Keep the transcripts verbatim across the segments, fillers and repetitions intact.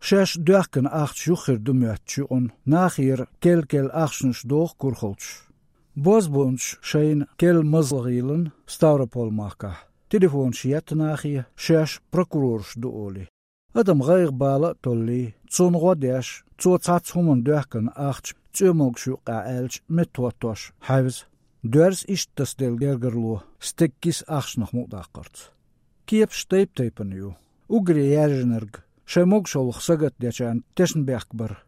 Шаьш доьхкина ахча юххера ду моьттучу юкъана нахера кел-кел ахчанаш доху курхалчаш. Бозбунчаш шайна кел мазла гӀийлина Ставрополь-махкахь. Телефонаш етта нахе, шаьш прокурораш ду олий. Адам гӀайгӀа бала а толлий, цунна гӀо деш, цо цхьацца хӀуманна доьхкина ахча цӀоьмалгаш юккъехь аьлча, меттахӀоттош хьаьвза. Доьрза иштта тасаделла гергарло стеган киса ахчанах мукъадаккхарца. Кепаш тайп-тайпана ю. Уггаре яьржинарг, шайн могушаллах сагатдечарна тешнабехк бар.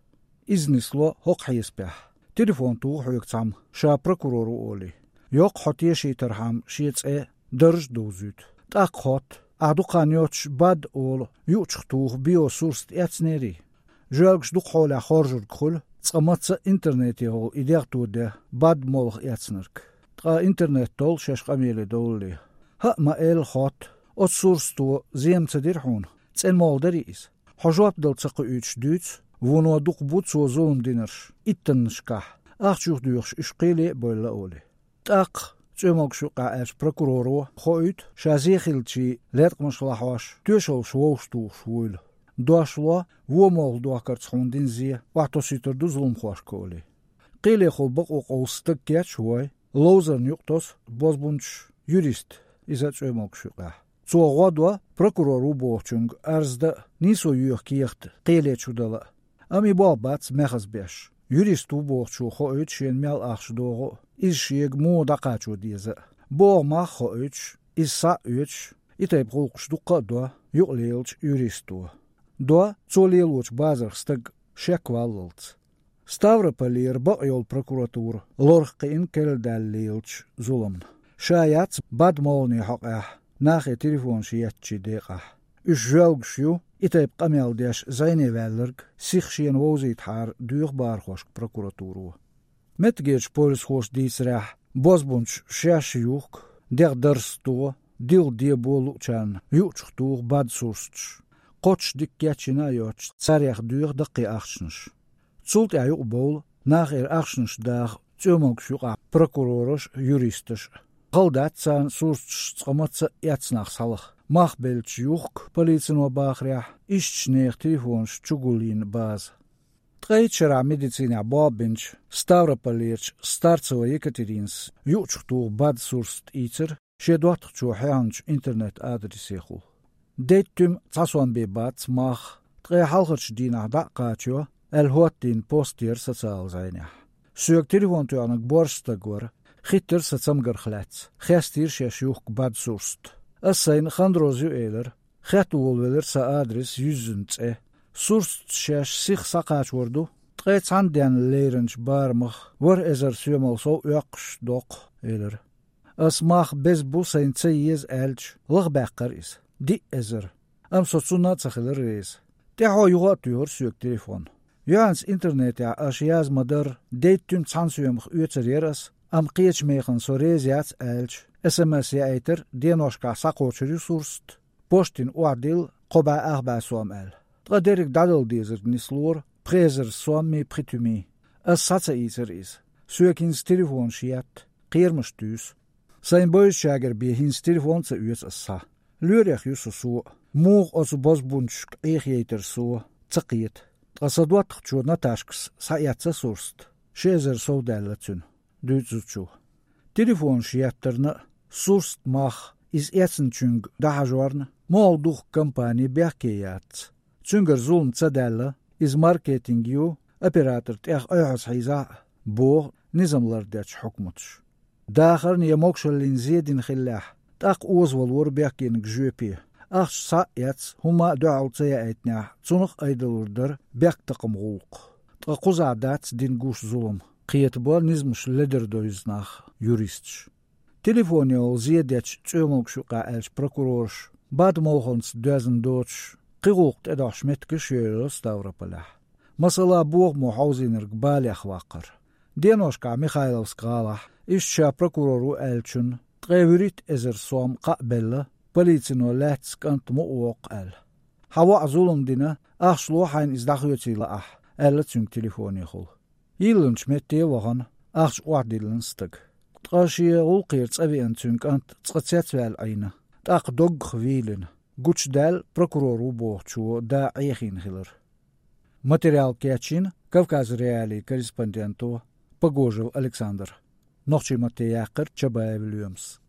Иза нисло хӀокху хьесапехь: телефон тоха хьоьга цхьамма, ша прокурор ву олий. Йоккха хьо тешийтархьама шен цӀе даржа довзуьйту. ТӀаккха хотту: ахь дукха хан йоццуш бад олу юучух тоха био-сурст эцнерий? Жоьлгаш дукха хьолехь хоржург хуьлу, цкъа мацца а интернетехула и дегӀ тоде бад молха эцнарг. Ткъа интернет толлу шаьш къамеле довлале. ХӀаъ, ма-элла, хотту: оцу сурсто зен ца дира хьуна, цӀена молха дарий иза? Хьо жоп дала ца кхуьуьйтуш дуьйцу, вуно дукха бу цо зулам динарш иттаннашкахь, ахча юхадоьхуш уьш кхеле а бевлла олий. ТӀаккха, цӀоьмалгаш юккъехь аьлча, прокуроро хоуьйту, ша зен хиллачийн леткъамаш лахьош, тоьшаллаш вовшахтухуш вуйла. Дош ло, вон молха дохкарца хьуна дина зен охьатосуьйтур ду зуламхошка олий. Кхелехула бакъо къовса стаг кечвой, ловзарна юкъа тосу бозбунчаш юрист, иза а цӀоьмалгаш юкъехь. Цо гӀо до прокурор ву бохучуьнга арз дан а, нийсо йоьху кехат кхеле чу дала а. Амма и болх бац мехаза беш. Юрист ву бохучо хоуьйту шена мел ахча догӀу а, иза шега муха дӀакхачо деза а. БогӀу мах а хоуьйтуш, иза схьа а оьцуш, и тайпа гӀуллакхаш дуккха а до юкъалелачу юристо. До цо лелочу базарх стаг шек валлалц. Ставрополера бакъйолу прокуратура лорах кхиъна керла даьлла лелачу зуламна. Ша яц бад молхане хьокъехь нахе телефонаш еттачийн декъахь. Уьш жоьлгаш ю, и тайпа къамел деш зӀене ваьлларг сиха шена вовзийтахьара, доьху бахархошка прокуратуро. Меттигерчу полисхоша дийцарехь, бозбунчаш шаьш юхку, дегӀ дарста, дилха дебо луучарна юучух туху бад сурсаташ. Кхоччуш дика кечйина а йоцуш, царех доьху даккхий ахчанаш. Цул тӀаьхьа юкъабовлу нахера ахчанаш даха цӀоьмалгаш юкъахь прокурораш а, юристаш а. Хала дац царна сурсаташ цкъа мацца а эцна нах схьалаха. Мах беллачу юхку, полицино бахарехь, ишттачу нехан телефонаш чугулйина база. Ткъе итт шарахь медицинехь болх бинчу Ставрополерчу Старцева Екатеринас юучух туху бад сурсат ийцира шен доттагӀчо хьехначу интернет-адресехула. Дейтта-м цхьа сом бен бац мах, ткъе хьалхарчу дийнахь дӀа а кхачайо, аьлла хӀоттийна пост яра социалан зӀенехь. Соьга телефон тоьхнарг боьрша стаг вара, хиттира сан цамгарх лаьцна, хестийра шаьш юхку бад сурсат. Ас сайна Хандроз ю элира, хетта волавелира сан адрес, юьззина цӀе. Сурсаташ шаьш сиха схьакхачор ду, ткъе цхьана денна леринчу барамах ворхӀ эзар соьмал сов оьккхуш доккху, элира. Ас мах беза бу, сайна ца еза аьлча, лахбаьккхира иза. Диъ эзар. Амма со цунна а ца хилира реза. ТӀаьхьо юха а туьйхира соьга телефон. Юьхьанца интернетехь аша яздан ма-дарра, дейтта-м цхьана соьмах оьцур яра ас, амма кхечу механа со реза яц аьлча, эс эм эс яийтира, деношкахь схьакхочур ю сурсат. Поштина охьадилла кхо бӀе ах бӀе сом аьлла. Ткъа дерриг дӀадала дезарг нислора пхи эзар соммий пхи туьмий. Ас схьа ца ийцира иза. Соьга хӀинца телефонаш етта, кхерамаш туьйсу. Сайн бевзачаьргара бен хӀинца телефон а ца оьцу ас схьа. Лоьрех ю со, со а. Муха оцу бозбунчашка Ӏехаяйтар со, ца кхета. Ткъа сан доттагӀчо Наташкас схьаэцна сурсат. Ши эзар сов даьлла цуьнан, дуьйцу зудчо. Телефонаш еттарна а, сурсат мах иза эцначуьнга дӀахьажорна а, молха духку компани бехке яц. Цуьнгара зулам ца даьлла, иза маркетинг ю, оператор тӀех айхьаза хьийзахь а, боху низам лардечу хьукматаша. Дахарна я могушаллина зен дина хиллехь, тӀаккха озавалора бехкениг жоьпе. Ахча схьа а эцна, хӀумма а дуьхьал ца яийтинехь, цунах а айдалур дара бехктакхаман гӀуллакх. Ткъа кхузахь дац дина гуш зулам, кхетабо низамаш ледара девза нах юристаш. Телефонехула зен дечу цӀоьмалгаш юкъахь аьллачу прокурораша бад молханца доьзна доцуш, кхин гӀуллакх тӀедогӀуш меттигаш йолаелла Ставрополехь. Масала, бохамо хьовзийнарг балех ваккхар. Деношкахь Михайловск гӀалахь, иштта ша прокурор ву аьллачунна ткъе вуьрхӀитта эзар сом кхаъ белла, полицино лаьцна кӀант мукъа воккху аьлла. Хьан воӀа зулам дина, ахча ло хьайна иза дӀахоьций лаахь, аьлла цуьнга телефонехула. Йиллинчу метте а вахана, ахча охьадиллина стага. Ткъа шен гӀуллакхера цӀа веана цуьнан кӀант цкъа цецваьлла Ӏийна, тӀаккха доггах вийлина, гучудаьлла прокурор ву бохучо да Ӏехийна хилар. Материал кечйина Кавказ.Реалии корреспонденто Погожев Александра. Нохчийн матте яьккхар Чабаев Лоьмас.